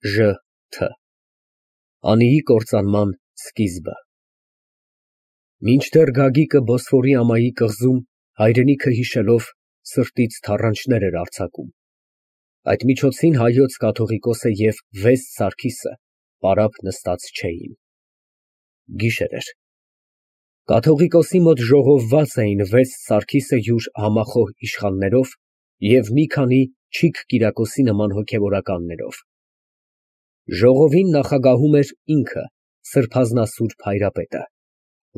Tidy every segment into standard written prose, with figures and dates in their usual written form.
Ժ Թ Անիի կործանման սկիզբը։ Մինչդեռ Գագիկը Բոսֆորի ամայի կղզում հայրենիքը հիշելով սրտից թառանչներ էր արձակում, այդ միջոցին հայոց կաթողիկոսը և վեց Սարգիսը պարապ նստած չէին։ Գիշեր էր։ Կաթողիկոսի մոտ ժողովված էին վեց Սարգիսը յուր համախոհ իշխաններով և մի քանի Չիք Կիրակոսի նման հոգևորականներով։ Ժողովին նախագահում էր ինքը սրբազնասուրբ Հայրապետը,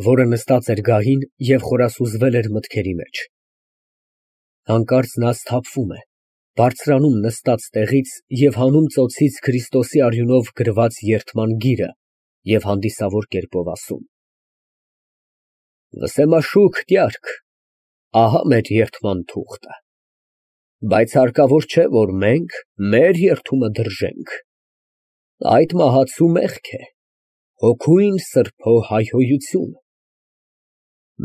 որը նստած էր գահին և խորասուզվել էր մտքերի մեջ։ Հանկարծ նա սթափվում է, բարձրանում նստած տեղից և հանում ծոցից Քրիստոսի արյունով գրված երդման գիրը և հանդիսավոր կերպով ասում. Վսեմաշուք տյարք, ահա մեր երդման թուղթը, բայց հարկավոր չէ, որ մենք մեր երդումը դրժենք, այդ մահացու մեղք է, հոգույն սրբո հայհոյություն,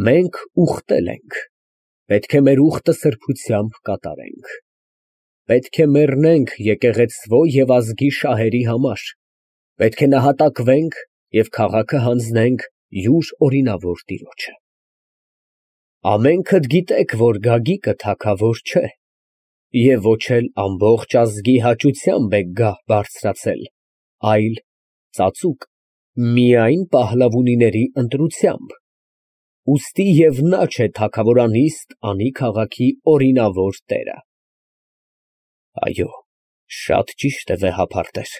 մենք ուխտել ենք, պետք է մեր ուխտը սրբությամբ կատարենք, պետք է մեռնենք եկեղեցվո և ազգի շահերի համար, պետք է նահատակվենք և քաղաքը հանձնենք յուր օրինավոր տիրոջը։ Ամենքդ գիտեք, որ Գագիկը թագավոր չէ և ոչ էլ ամբողջ ազգի հաճությամբ է գահ բարձրացել, այլ ծածուկ միայն Փահլավունիների ընտրությամբ, ուստի և նա չէ թագավորանիստ անի քաղաքի օրինավոր տերը։ Այո, շատ ճիշտ է վեհափարտեր,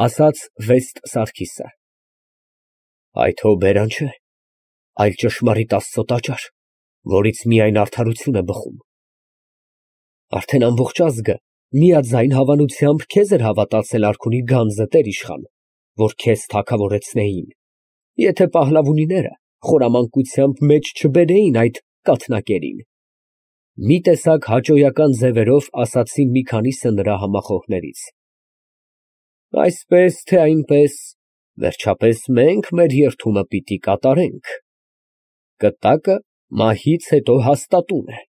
ասաց Վեստ Սարգիսը, այդ հո բերան չէ, այլ ճշմարիտ Աստծո տաճար, որից միայն արդարություն է բխում։ Արդեն ամբողջ ազգը միաձայն հավանությամբ քեզ էր հավատացել արքունի գանձը, տեր-իշխան, որ քեզ թագավորեցնեին, եթե Փահլավունիները խորամանկությամբ մեջ չբերեին այդ կաթնակերին։ Մի տեսակ հաճոյական ձևերով ասացին մի քանիսը նրա համախոհներից։ Այսպես թե այնպես, վերջապես մենք մեր երդումը պիտի կատարենք։ Կտակը մահից հետո հաստատուն է։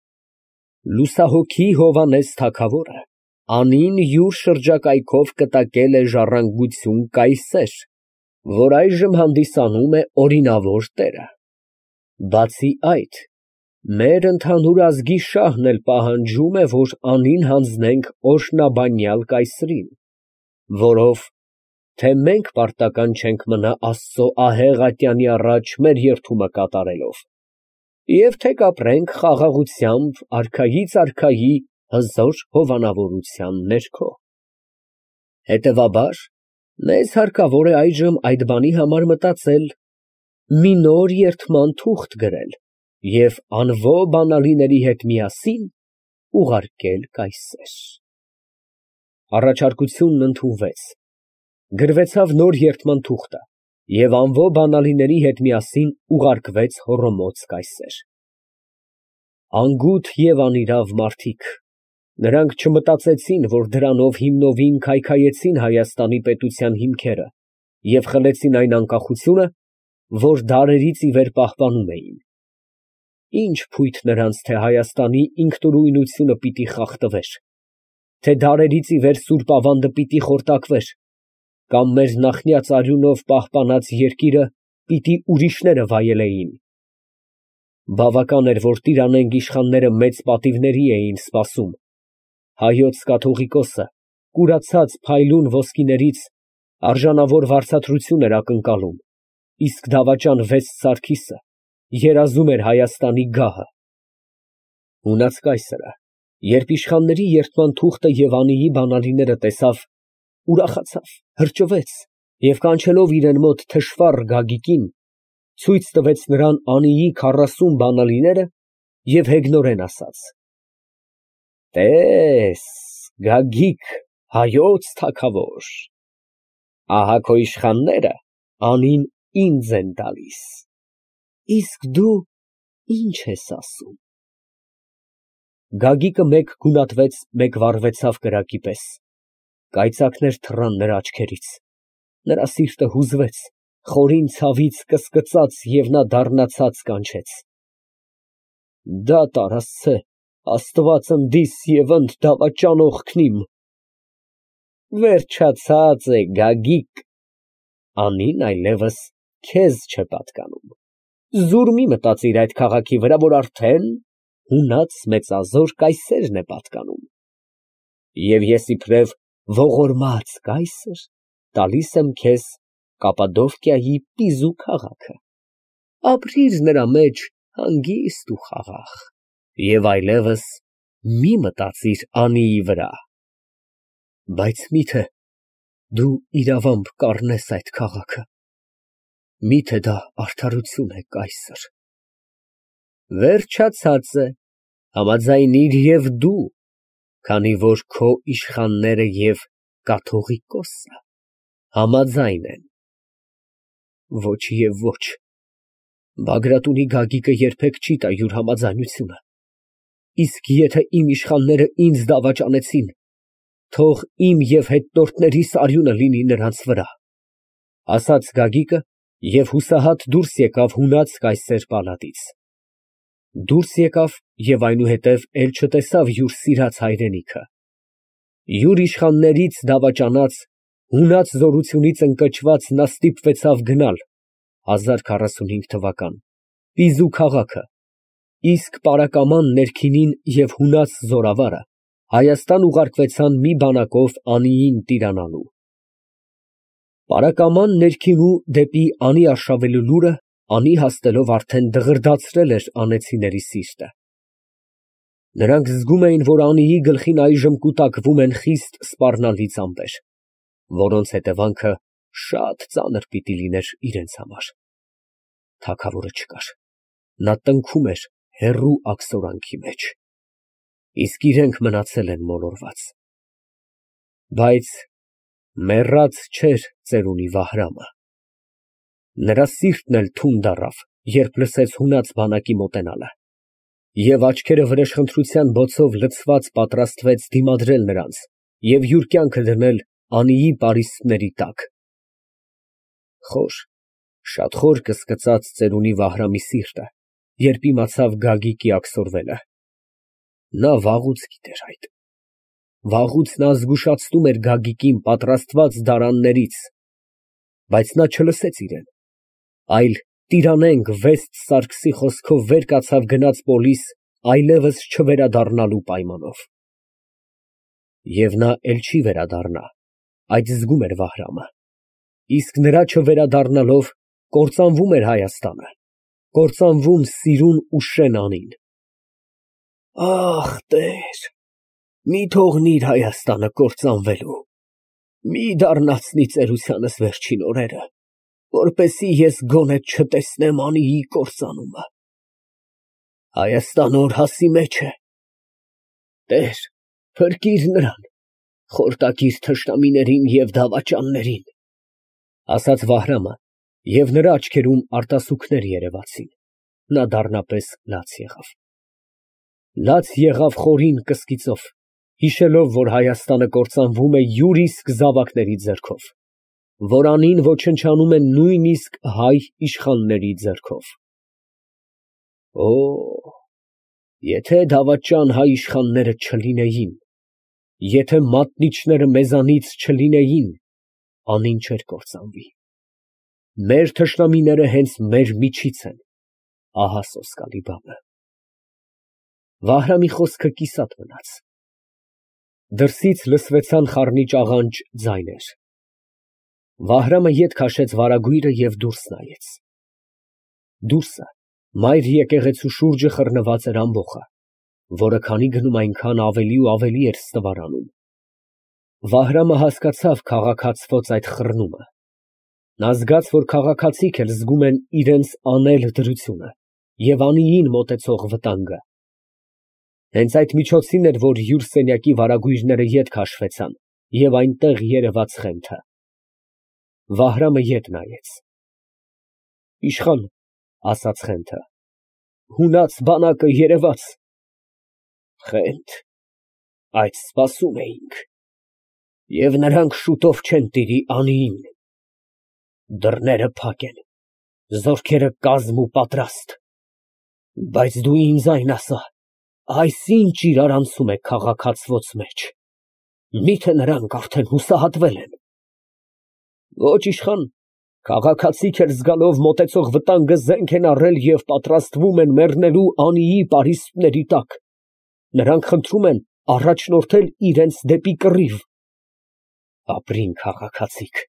Լուսահոգի Հովհաննես թագավորը անին յուր շրջակայքով կտակել է ժառանգություն կայսեր, որ այժմ հանդիսանում է օրինավոր տերը։ Բացի այդ, մեր ընդհանուր ազգի շահն էլ պահանջում է, որ անին հանձնենք օրհնաբանյալ կայսրին, որով թե մենք պարտական չենք մնա Աստծո ահեղ ատյանի առաջ մեր երդումը կատարելով, և թե կապրենք խաղաղությամբ արքայից արքայի հզոր հովանավորության ներքո։ Հետևաբար, մեզ հարկավոր է այժմ այդ բանի համար մտածել, մի նոր երդման թուղթ գրել և անվո բանալիների հետ միասին ուղարկել կայսեր։ Առաջարկությունն ընդունվեց, գրվեցավ նոր երդման թուղթը և անվո բանալիների հետ միասին ուղարկվեց Հոռոմոց կայսեր։ Անգութ և անիրավ մարդիկ, նրանք չմտածեցին, որ դրանով հիմնովին քայքայեցին Հայաստանի պետության հիմքերը և խլեցին այն անկախությունը, որ դարերից ի վեր պահպանում էին։ Ինչ փույթ նրանց, թե Հայաստանի ինքնուրույնությունը պիտի խախտվեր, թե դարերից ի վեր սուրբ ավանդը պիտի խորտակվեր, կամ մեր նախնյաց արյունով պահպանած երկիրը պիտի ուրիշները վայելեին։ Բավական էր, որ տիրանենք իշխանները մեծ պատիվների էին սպասում, հայոց կաթողիկոսը կուրացած փայլուն ոսկիներից արժանավոր վարձատրություն էր ակնկալում, իսկ դավաճան Վեստ Սարգիսը երազում էր Հայաստանի գահը։ Հունած կայսրը, երբ իշխանների երդման թուղթը և անիի բանալիները տեսավ, ուրախացավ, հրճվեց և կանչելով իրեն մոտ թշվառ Գագիկին, ցույց տվեց նրան անիի 40 բանալիները և հեգնորեն ասաց. Տես, Գագիկ, հայոց թագավոր, ահա քո իշխանները անին ինձ են տալիս, իսկ դու ի՞նչ ես ասում։ Գագիկը մեկ գունատվեց, մեկ վառվեցավ կրակի պես, կայծակներ թռան նրա աչքերից, նրա սիրտը հուզվեց, խորին ցավից կսկծաց և նա դառնացած կանչեց. Դատարկ Աստծե, Աստված ընդիս և ընդ դավաճան օգնիմ։ Վերջացած է Գագիկ, Անին այլևս քեզ չէ պատկանում, զուր մի մտածիր այդ քաղաքի վրա, որ արդեն հունած մեծազոր կայսերն է պատկանում, և ես իբրև ողորմած կայսր տալիս եմ քեզ Կապադովկիայի Պիզու քաղաքը, ապրիր նրա մեջ հանգիստ ու խաղաղ, և այլևս մի մտածիր Անիի վրա, բայց միթե դու իրավամբ կառնես այդ քաղաքը, միթե դա արդարություն է, կայսր։ Վերջացած է, համաձայնիր և դու, քանի որ քո իշխանները և կաթողիկոսը համաձայն են։ Ոչ և ոչ, Բագրատունի Գագիկը երբեք չի տա յուր համաձայնությունը, իսկ եթե իմ իշխանները ինձ դավաճանեցին, թող իմ և հետնորդներիս արյունը լինի նրանց վրա, ասաց Գագիկը և հուսահատ դուրս եկավ հունած կայսեր պալատից, դուրս եկավ և այնուհետև էլ չտեսավ յուր սիրած հայրենիքը, յուր իշխաններից դավաճանած, հունած զորությունից ընկճված նա ստիպվեցավ գնալ 1045 թվական Պիզու քաղաքը, իսկ պարակաման ներքինին և հունած զորավարը Հայաստան ուղարկվեցան մի բանակով Անիին տիրանալու։ Պարակաման ներքինու դեպի Անի արշավելու լուրը Անի հասնելով արդեն դղրդացրել էր անեծիների սիրտը։ Նրանք զգում էին, որ Անիի գլխին այժմ կուտակվում են խիստ սպառնալից ամպեր, որոնց հետևանքը շատ ծանր պիտի լիներ իրենց համար։ Թագավորը չկար, նա տնքում էր հեռու աքսորանքի մեջ, իսկ իրենք մնացել են մոլորված։ Բայց մեռած չէր ծերունի Վահրամը։ Նրա սիրտն էլ թունդ առավ, երբ լսեց հունած բանակի մոտենալը, և աչքերը վրեժխնդրության բոցով լցված պատրաստվեց դիմադրել նրանց և յուր կյանքը դնել Անիի պարիսպների տակ։ Խոր, շատ խոր կսկծաց ծերունի Վահրամի սիրտը, երբ իմացավ Գագիկի աքսորվելը։ Նա վաղուց գիտեր այդ։ Վաղուց նա զգուշացնում էր Գագիկին պատրաստված դարաններից, բայց նա չլսեց իրան, այլ տիրանենք Վեստ Սարգսի խոսքով վեր կացավ գնաց Պոլիս այլևս չվերադառնալու պայմանով։ Եվ նա էլ չի վերադառնա, այդ զգում էր Վահրամը, իսկ նրա չվերադառնալով կործանվում էր Հայաստանը, կործանվում սիրուն ու շեն Անին։ Ախ, Տեր, մի թողնիր Հայաստանը կործանվելու, մի դառնացնի ծերությանս վերջին օրերը, որպեսզի ես գոնե չտեսնեմ Անիի կործանումը։ Հայաստանը օրհասի մեջ է։ Տեր, փրկիր նրան, խորտակիր թշնամիներին և դավաճաններին, ասաց Վահրամը, և նրա աչքերում արտասուքներ երևացին, նա դառնապես լաց եղավ։ Լաց եղավ խորին կսկիծով, հիշելով, որ Հայաստանը կործանվում է յուր իսկ զավակների ձեռքով, որ Անին ոչնչանում է նույնիսկ հայ իշխանների ձեռքով։ Օ, եթե դավաճան հայ իշխանները չլինեին, եթե մատնիչները մեզանից չլինեին, Անին չէր կործանվի։ Մեր թշնամիները հենց մեր միջից են, ահա սոսկալի բանը։ Վահրամի խոսքը կիսատ մնաց։ Դրսից լսվեցան խառնիչ աղանջ ձայներ։ Վահրամը ետ քաշեց վարագույրը և դուրս նայեց։ Դուրսը մայր եկեղեցու շուրջը խռնված էր ամբոխը, որը քանի գնում այնքան ավելի ու ավելի էր ստվարանում։ Վահրամը հասկացավ քաղաքացվոց այդ խռնումը։ Նա զգաց, որ քաղաքացիք էլ զգում են իրենց անել դրությունը և Անիին մոտեցող վտանգը։ Հենց այդ միջոցին էր, որ յուր սենյակի վարագույրները ետ քաշվեցան և այնտեղ երևաց Խենթը։ Վահրամը ետ նայեց։ Իշխան, ասաց Խենթը, հունած բանակը երևաց։ Խենթ, այդ սպասում էինք, և նրանք շուտով չեն տիրի Անիին։ Դռները փակ են, զորքերը կազմ ու պատրաստ, բայց դու ինձ այն ասա, այս ինչ իրարանցում է քաղաքացվոց մեջ։ Միթե նրանք արդեն հուսահատվել են։ Ոչ իշխան, քաղաքացիք էլ զգալով մոտեցող վտանգը զենք են առել և պատրաստվում են մեռնելու անիի պարիսպների տակ։ Նրանք խնդրում են առաջնորդել իրենց դեպի կռիվ։ Ապրին քաղաքացիք,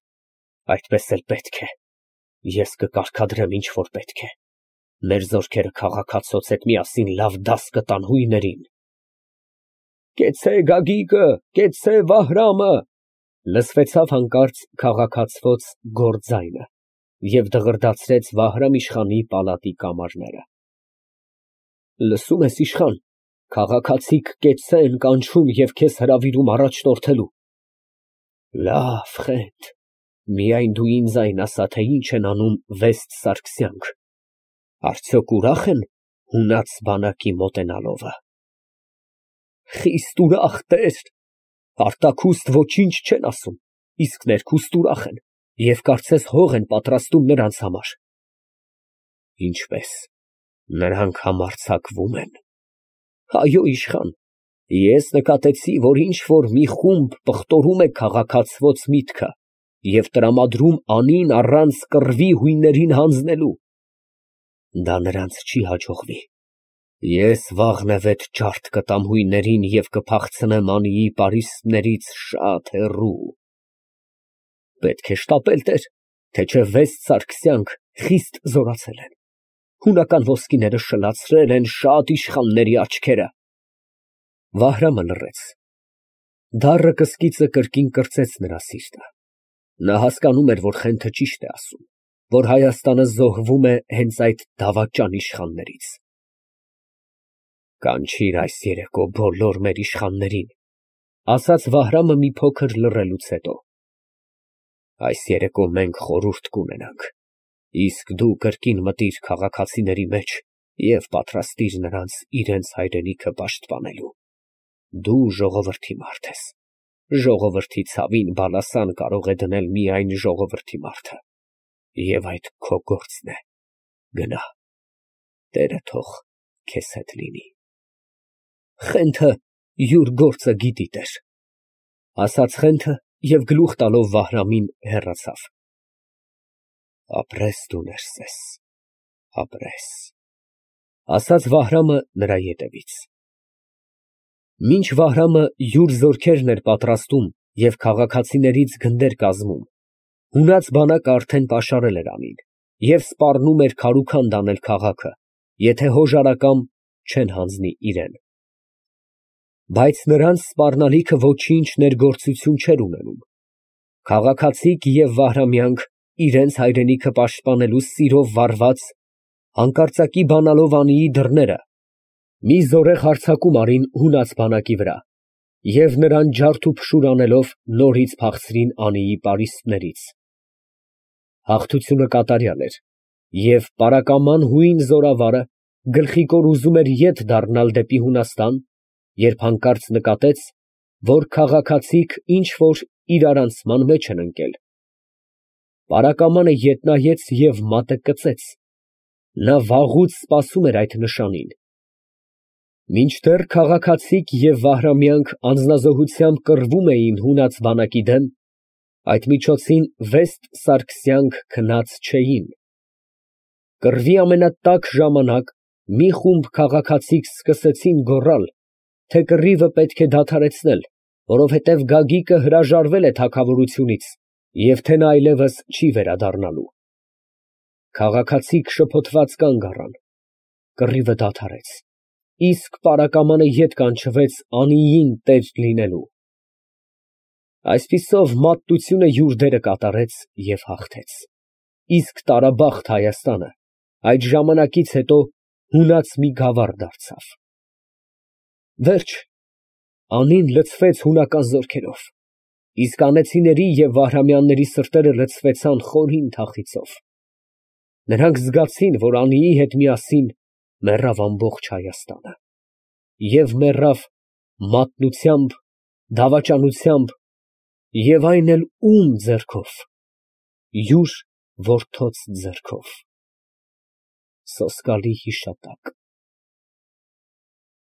այդպես էլ պետք է։ Ես կկարգադրեմ ինչ որ պետք է։ Մեր զորքերը քաղաքացուց հետ միասին լավ դաս կտան հույներին։ Կեցցե Գագիկը, կեցցե Վահրամը, լսվեցավ հանկարծ քաղաքացվոց գոռ ձայնը և դղրդացրեց Վահրամ իշխանի պալատի կամարները։ Լսում ես, իշխան, քաղաքացիք կեցցե են կանչում և քեզ հրավիրում առաջնորդելու։ Լավ, խենթ, միայն դու ինձ այն ասա, թե ինչ են անում Վեստ Սարգսյանք, արդյոք ուրախ են հունած բանակի մոտենալովը։ Խիստ ուրախ, տեր, արտաքուստ ոչինչ չեն ասում, իսկ ներքուստ ուրախ են և կարծես հող են պատրաստում նրանց համար։ Ինչպես, նրանք համարձակվում են։ Այո, իշխան, ես նկատեցի, որ ինչ որ մի խումբ պղտորում է քաղաքացվոց միտքը և տրամադրում անին առանց կռվի հույներին հանձնելու։ Դա նրանց չի հաջողվի։ Ես վաղնևեթ ջարդ կտամ հույներին և կփախցնեմ անիի պարիսպներից շատ հեռու։ Պետք է շտապել, տեր, թե չէ Վեստ Սարգսյանք խիստ զորացել են։ Հունական ոսկիները շլացրել են շատ իշխանների աչքերը։ Վահրամը լռեց։ Դառը կսկիծը կրկին կրծեց նրա սիրտը։ Նա հասկանում էր, որ Խենթը ճիշտ է ասում, որ Հայաստանը զոհվում է հենց այդ դավաճան իշխաններից։ Կանչիր այս երեկո բոլոր մեր իշխաններին, ասաց Վահրամը մի փոքր լռելուց հետո։ Այս երեկո մենք խորհուրդ կունենանք, իսկ դու կրկին մտիր քաղաքացիների մեջ և պատրաստիր նրանց իրենց հայրենիքը պաշտպանելու։ Դու ժողովրդի մարդ ես։ Ժողովրդի ցավին բալասան կարող է դնել միայն ժողովրդի մարդը։ Եվ այդ քո գործն է։ Գնա, Տերը թող քեզ հետ լինի։ Խենթը յուր գործը գիտի, տեր, ասաց Խենթը և գլուխ տալով Վահրամին հեռացավ։ Ապրես դու, Ներսես, ապրես, ասաց Վահրամը նրա ետևից։ Մինչ Վահրամը յուր զորքերն էր պատրաստում և քաղաքացիներից գնդեր կազմում, հունած բանակը արդեն պաշարել էր անին և սպառնում էր քարուքանդ անել քաղաքը, եթե հոժարակամ չեն հանձնի իրան։ Բայց նրանց սպառնալիքը ոչինչ ներգործություն չէր ունենում։ Քաղաքացիք և Վահրամյանք իրենց հայրենիքը պաշտպանելու սիրով վառված, հանկարծակի բանալով անիի դռները, մի զորեղ հարձակում արին հունած բանակի վրա և նրան ջարդ ու փշուր անելով նորից փախցրին անիի պարիսպներից։ Հաղթությունը կատարյալ էր, և պարակաման հույն զորավարը գլխիկոր ուզում էր ետ դառնալ դեպի Հունաստան, երբ հանկարծ նկատեց, որ քաղաքացիք ինչ որ իրարանցման մեջ են ընկել։ Պարակամանը ետ նայեց և մատը կծեց։ Նա վաղուց սպասում էր այդ նշանին։ Մինչդեռ քաղաքացիք և Վահրամյանք անձնազոհությամբ կռվում էին հունած բանակի դեմ, այդ միջոցին Վեստ Սարգսյանք քնած չէին։ Կռվի ամենատաք ժամանակ մի խումբ քաղաքացիք սկսեցին գոռալ, թե կռիվը պետք է դադարեցնել, որովհետև Գագիկը հրաժարվել է թագավորությունից և թե նա այլևս չի վերադառնալու։ Քաղաքացիք շփոթված կանգ առան։ Կռիվը դադարեց, իսկ պարակամանը ետ կանչվեց անիին տեր լինելու։ Այսպիսով մատնությունը յուր դերը կատարեց և հաղթեց, իսկ տարաբախտ Հայաստանը այդ ժամանակից հետո հունած մի գավառ դարձավ։ Վերջ, անին լցվեց հունական զորքերով, իսկ անեծիների և Վահրամյանների սրտերը լցվեցան խորին թախիծով։ Նրանք զգացին, որ անիի հետ միասին մեռավ ամբողջ Հայաստանը, և մեռավ մատնությամբ, դավաճանությամբ և այն էլ ո՞ւմ ձեռքով, յուր որդոց ձեռքով։ Սոսկալի հիշատակ։